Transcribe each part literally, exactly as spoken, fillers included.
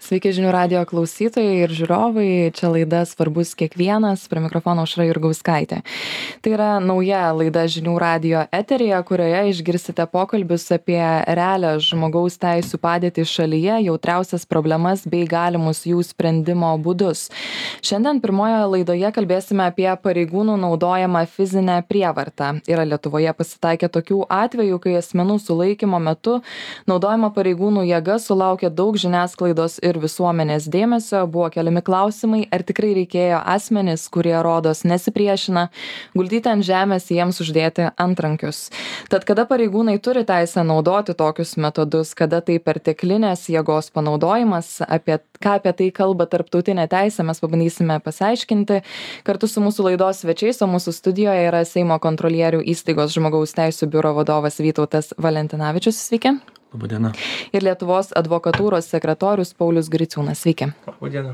Sveiki žinių radijo klausytojai ir žiūrovai, čia laida Svarbus kiekvienas, prie mikrofono Aušra Jurgauskaitė. Tai yra nauja laida žinių radijo eteryje, kurioje išgirsite pokalbius apie realią žmogaus teisų padėtį šalyje, jautriausias problemas bei galimus jų sprendimo būdus. Šiandien pirmoje laidoje kalbėsime apie pareigūnų naudojamą fizinę prievartą. Yra Lietuvoje pasitaikę tokių atvejų, kai asmenų sulaikymo metu naudojama pareigūnų jėga sulaukė daug žiniasklaidos ir visuomenės dėmesio. Buvo keliami klausimai, ar tikrai reikėjo asmenis, kurie rodos nesipriešina, guldyti ant žemės, jiems uždėti antrankius. Tad kada pareigūnai turi teisę naudoti tokius metodus, kada tai perteklinės jėgos panaudojimas, apie ką apie tai kalba tarptautinė teisė, mes pabandysime pasiaiškinti kartu su mūsų laidos svečiais, o mūsų studijoje yra Seimo kontrolierių įstaigos žmogaus teisų biuro vadovas Vytautas Valentinavičius. Sveiki. Labadiena. Ir Lietuvos advokatūros sekretorius Paulius Griciūnas. Sveiki. Labadiena.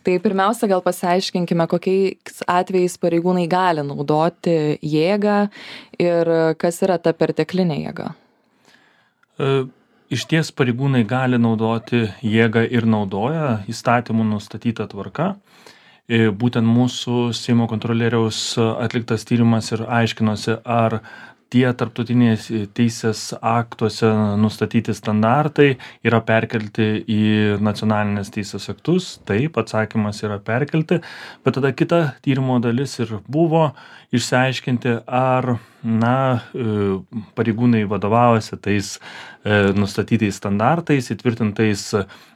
Tai pirmiausia, gal pasiaiškinkime, kokiais atvejais pareigūnai gali naudoti jėgą ir kas yra ta perteklinė jėga. E, iš ties pareigūnai gali naudoti jėgą ir naudoja įstatymų nustatytą tvarką. E, būtent mūsų Seimo kontrolieriaus atliktas tyrimas ir aiškinosi, ar tie tarptautinės teisės aktuose nustatyti standartai yra perkelti į nacionalinės teisės aktus. Taip, atsakymas yra perkelti, bet tada kita tyrimo dalis ir buvo išsiaiškinti, ar na, pareigūnai vadovavosi tais nustatytais standartais, įtvirtintais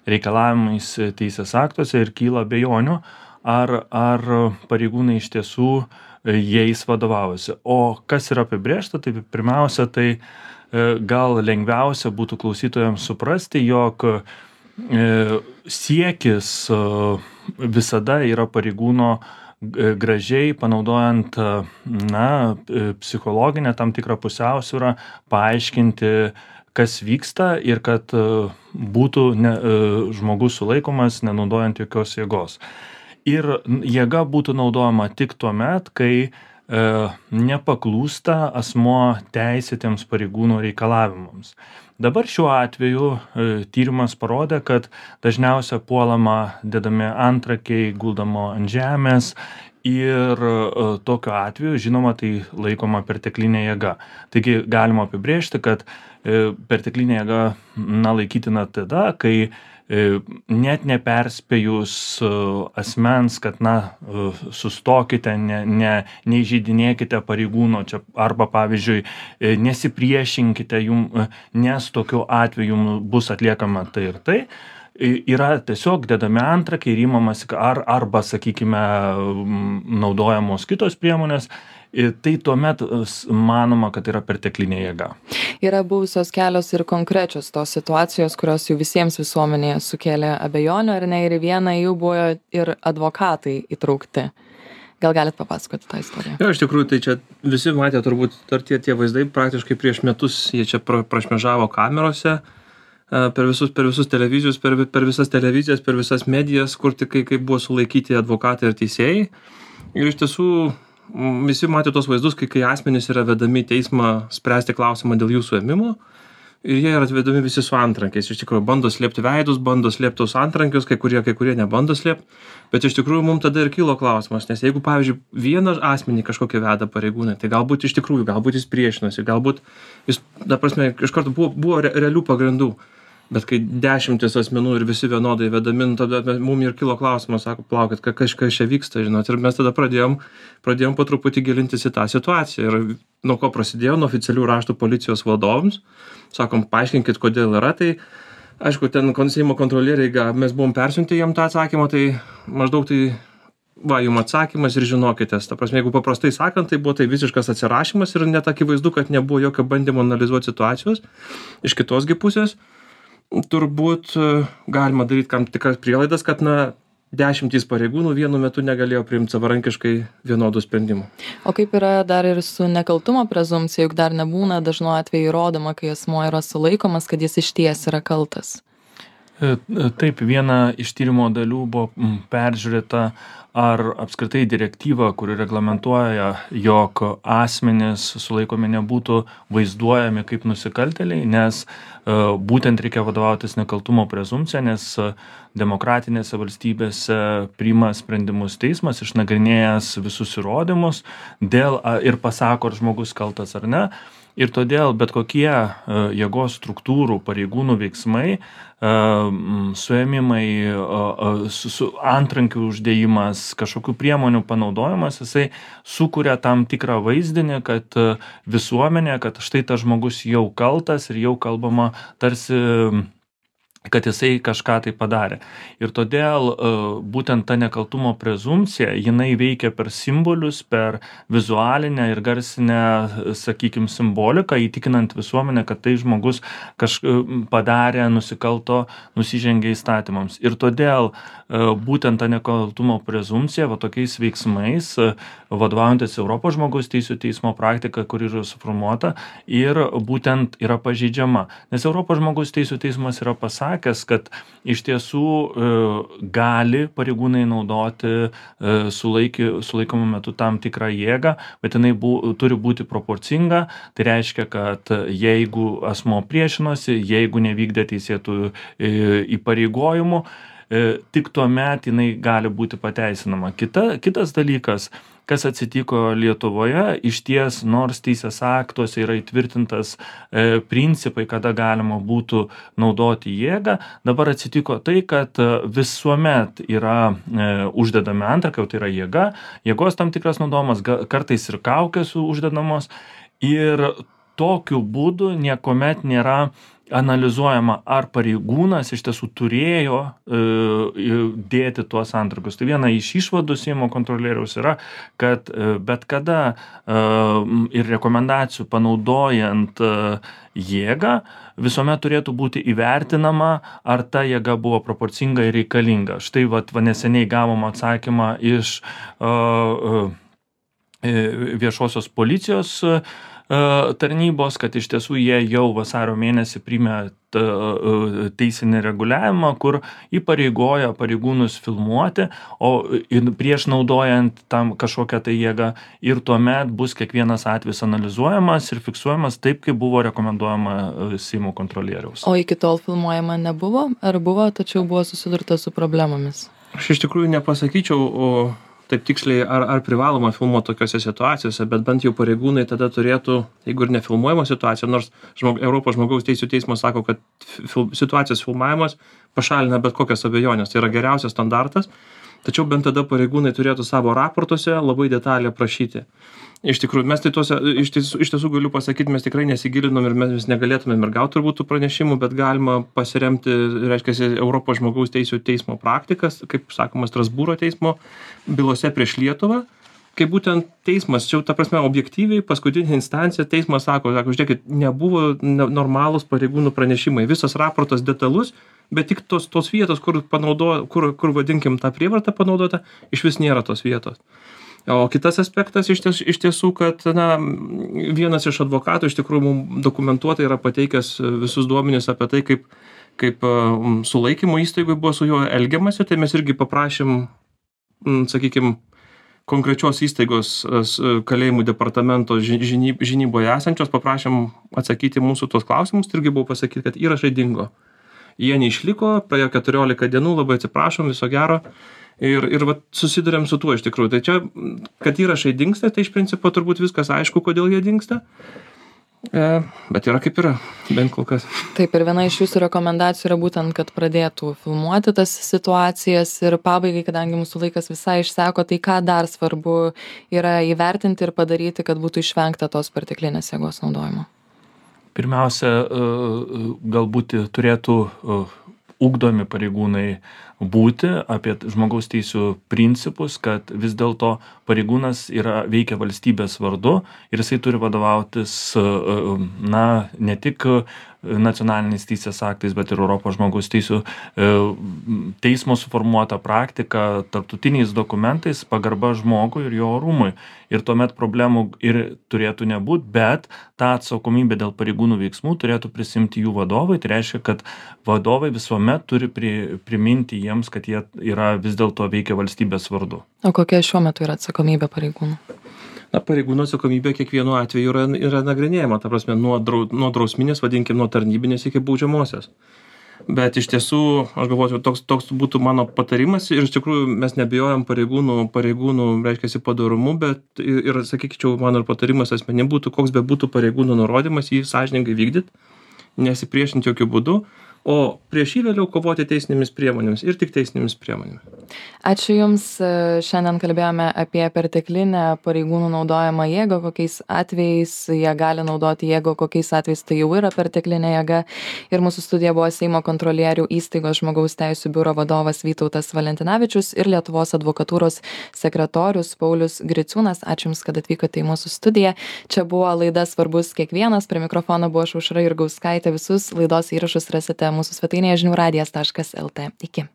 reikalavimais teisės aktuose ir kyla abejonių, ar, ar pareigūnai iš tiesų jais vadovavosi. O kas yra apibrėžta, tai pirmiausia, tai gal lengviausia būtų klausytojams suprasti, jog siekis visada yra pareigūno gražiai panaudojant na, psichologinę tam tikrą pusiausvyrą, paaiškinti, kas vyksta ir kad būtų ne, žmogus sulaikomas nenaudojant jokios jėgos. Ir jėga būtų naudojama tik tuo met, kai e, nepaklūsta asmuo teisėtiems pareigūnų reikalavimams. Dabar šiuo atveju e, tyrimas parodė, kad dažniausia puolama dedami antrankiai, guldamo ant žemės ir e, tokiu atveju, žinoma, tai laikoma perteklinė jėga. Taigi galima apibrėžti, kad e, perteklinė jėga na, laikytina tada, kai net neperspėjus asmens, kad na, sustokite, ne, ne, neįžeidinėkite pareigūno čia, arba pavyzdžiui, nesipriešinkite jum, nes tokiu atveju jum bus atliekama tai ir tai. Yra tiesiog dedami antrankiai ir įmamasi, ar, arba, sakykime, naudojamos kitos priemonės. Tai tuomet manoma, kad yra perteklinė jėga. Yra buvusios kelios ir konkrečios tos situacijos, kurios jau visiems visuomenėje sukėlė abejonių, ar ne, ir vieną jų buvo ir advokatai įtraukti. Gal galit papasakoti tą istoriją? Jo, iš tikrųjų, tai čia visi matė turbūt dar tie, tie vaizdai, praktiškai prieš metus jie čia pra, prašmežavo kamerose, per visus, per visus televizijos, per, per visas televizijas, per visas medijas, kur tik kai, kai buvo sulaikyti advokatai ir teisėjai. Ir iš tiesų visi matė tos vaizdus, kai, kai asmenys yra vedami į teismą spręsti klausimą dėl jų suėmimo ir jie yra atvedami visi su antrankiais. Iš tikrųjų, bando slėpti veidus, bando slėpti tos antrankius, kai kurie, kai kurie nebando slėpti, bet iš tikrųjų mums tada ir kilo klausimas, nes jeigu, pavyzdžiui, vieną asmenį kažkokį veda pareigūnai, tai galbūt iš tikrųjų, galbūt jis priešinosi, galbūt jis, ta prasme, iš karto buvo, buvo realių pagrindų. Bet kai dešimtis asmenų ir visi vienodai vedami, tada mums ir kilo klausimas, sako, plaukit, kažkas čia vyksta, žinot. Ir mes tada pradėjom, pradėjom po truputį gilintis į tą situaciją. Ir nuo ko prasidėjo, nuo oficialių raštų policijos vadovams. Sakom, paaiškinkit, kodėl yra. Tai, aišku, ten Seimo kontrolieriai, mes buvom persiuntę jam tą atsakymą, tai maždaug tai, va, jums atsakymas ir žinokitės. Ta prasme, jeigu paprastai sakant, tai buvo tai visiškas atsirašymas ir net akivaizdu, kad nebuvo jokio bandymo analizuoti situacijos. Iš kitos gi pusės, turbūt galima daryti kam tikras prielaidas, kad na, dešimtys pareigūnų vienu metu negalėjo priimti savarankiškai vienodų sprendimų. O kaip yra dar ir su nekaltumo prezumpcija, juk dar nebūna dažnu atveju įrodoma, kai asmuo yra sulaikomas, kad jis išties yra kaltas? Taip, viena iš tyrimo dalių buvo peržiūrėta, ar apskritai direktyva, kuri reglamentuoja, jog asmenys sulaikomi nebūtų vaizduojami kaip nusikaltėliai, nes būtent reikia vadovautis nekaltumo prezumpcija, nes demokratinėse valstybėse priima sprendimus teismas, išnagrinėjęs visus įrodymus dėl, ir pasako, ar žmogus kaltas ar ne. Ir todėl bet kokie jėgos struktūrų pareigūnų veiksmai, suėmimai, su, su antrankių uždėjimas, kažkokių priemonių panaudojimas, jisai sukuria tam tikrą vaizdinį, kad visuomenė, kad štai tas žmogus jau kaltas ir jau kalbama tarsi, kad jisai kažką tai padarė. Ir todėl būtent ta nekaltumo prezumpcija, jinai veikia per simbolius, per vizualinę ir garsinę, sakykim, simboliką, įtikinant visuomenę, kad tai žmogus kažką padarė, nusikalto, nusižengė įstatymams. Ir todėl būtent ta nekaltumo prezumpcija, va tokiais veiksmais, vadovaujantis Europos žmogaus teisių teismo praktika, kuri yra suformuota, ir būtent yra pažeidžiama. Nes Europos žmogaus teisių teismas yra pasakęs, kad iš tiesų gali pareigūnai naudoti sulaiki, sulaikomų metu tam tikrą jėgą, bet jinai bu, turi būti proporcinga. Tai reiškia, kad jeigu asmo priešinosi, jeigu nevykdė teisėtų įpareigojimų, tik tuomet jinai gali būti pateisinama. Kita, kitas dalykas, kas atsitiko Lietuvoje, iš ties, nors teisės aktuose yra įtvirtintas e, principai, kada galima būtų naudoti jėgą, dabar atsitiko tai, kad visuomet yra e, uždedami antrankiai, tai yra jėga, jėgos tam tikras naudojimas, kartais ir kaukės uždedamos, ir tokiu būdu niekuomet nėra analizuojama, ar pareigūnas iš tiesų turėjo e, dėti tuos antrankius. Tai viena iš išvadų Seimo kontrolieriaus yra, kad e, bet kada e, ir rekomendacijų panaudojant e, jėgą, visuomet turėtų būti įvertinama, ar ta jėga buvo proporcinga ir reikalinga. Štai vat, va, neseniai gavom atsakymą iš e, e, viešosios policijos e, tarnybos, kad iš tiesų jie jau vasario mėnesį priėmė teisinį reguliavimą, kur įpareigoja pareigūnus filmuoti, o prieš naudojant tam kažkokią tai jėgą, ir tuomet bus kiekvienas atvejis analizuojamas ir fiksuojamas taip, kaip buvo rekomenduojama Seimo kontrolieriaus. O iki tol filmuojama nebuvo? Ar buvo, tačiau buvo susidurta su problemomis? Aš iš tikrųjų nepasakyčiau, o taip tiksliai, ar, ar privaloma filmuoti tokiose situacijose, bet bent jau pareigūnai tada turėtų, jeigu ir nefilmuojama situacija, nors žmog, Europos žmogaus teisių teismas sako, kad fil, situacijos filmavimas pašalina bet kokias abejonės, tai yra geriausias standartas, tačiau bent tada pareigūnai turėtų savo raportuose labai detaliai aprašyti. Iš tikrųjų, mes tai tuose, iš tiesų, iš tiesų galiu pasakyti, mes tikrai nesigilinom ir mes negalėtumėm ir gauti turbūt tų pranešimų, bet galima pasiremti, reiškia, Europos žmogaus teisių teismo praktikas, kaip sakoma, Strasbūro teismo bylose prieš Lietuvą, kai būtent teismas, čia ta prasme objektyviai, paskutinė instancija, teismas sako, sako, žiūrėkit, nebuvo normalūs pareigūnų pranešimai, visas raportas detalus, bet tik tos, tos vietos, kur, panaudo, kur, kur vadinkim tą prievartą panaudota, iš vis nėra tos vietos. O kitas aspektas iš, ties, iš tiesų, kad na, vienas iš advokatų iš tikrųjų mums dokumentuotai yra pateikęs visus duomenis apie tai, kaip, kaip um, sulaikymo įstaigui buvo su juo elgiamasi, tai mes irgi paprašym, um, sakykime, konkrečios įstaigos kalėjimų departamento žinyb, žinyboje esančios, paprašym atsakyti mūsų tuos klausimus, tai irgi buvo pasakyti, kad įrašai dingo. Jie neišliko, praėjo keturiolika dienų, labai atsiprašom, viso gero. Ir, ir vat, susidurėm su tuo iš tikrųjų. Tai čia, kad įrašai dingsta, tai iš principo turbūt viskas aišku, kodėl jie dingsta. E, bet yra kaip yra, bent kol kas. Taip, ir viena iš jūsų rekomendacijų yra būtent, kad pradėtų filmuoti tas situacijas. Ir pabaigai, kadangi mūsų laikas visai išseko, tai ką dar svarbu yra įvertinti ir padaryti, kad būtų išvengta tos perteklinės jėgos naudojimo? Pirmiausia, galbūt turėtų ugdomi pareigūnai būti apie žmogaus teisių principus, kad vis dėlto pareigūnas yra, veikia valstybės vardu ir jisai turi vadovautis na, ne tik nacionaliniais teisės aktais, bet ir Europos žmogaus teisų teismo suformuota praktika, tarptautiniais dokumentais, pagarba žmogui ir jo orumui. Ir tuomet problemų ir turėtų nebūti, bet tą atsakomybę dėl pareigūnų veiksmų turėtų prisimti jų vadovai. Tai reiškia, kad vadovai visuomet turi pri, priminti jiems, kad jie yra vis dėlto veikia valstybės vardu. O kokia šiuo metu yra atsakomybė pareigūnų? Na, pareigūno atsakomybė kiekvienu atveju yra, yra nagrinėjama, ta prasme, nuo, drau, nuo drausminės, vadinkim, nuo tarnybinės iki baudžiamosios. Bet iš tiesų, aš galvoju, toks, toks būtų mano patarimas ir iš tikrųjų mes nebijojam pareigūnų, pareigūnų, reiškia, padorumu, bet ir, ir sakyčiau, mano patarimas asmenim būtų, koks be būtų pareigūnų nurodymas, jį sąžiningai vykdyti, nesipriešinti jokių būdų, o prieš jį vėliau kovoti teisinėmis priemonėmis ir tik teisinėmis priemonėmis. Ačiū Jums. Šiandien kalbėjome apie perteklinę pareigūnų naudojamą jėgą, kokiais atvejais jie gali naudoti jėgą, kokiais atvejais tai jau yra perteklinė jėga. Ir mūsų studija buvo Seimo kontrolierių įstaigos žmogaus teisų biuro vadovas Vytautas Valentinavičius ir Lietuvos advokatūros sekretorius Paulius Griciūnas. Ačiū Jums, kad atvykote į mūsų studiją. Čia buvo laida Svarbus kiekvienas. Prie mikrofono buvo Aušra Jurgauskaitė. Visus laidos įrašus rasite mūsų svetainėje žinių radijas taškas lt. Iki.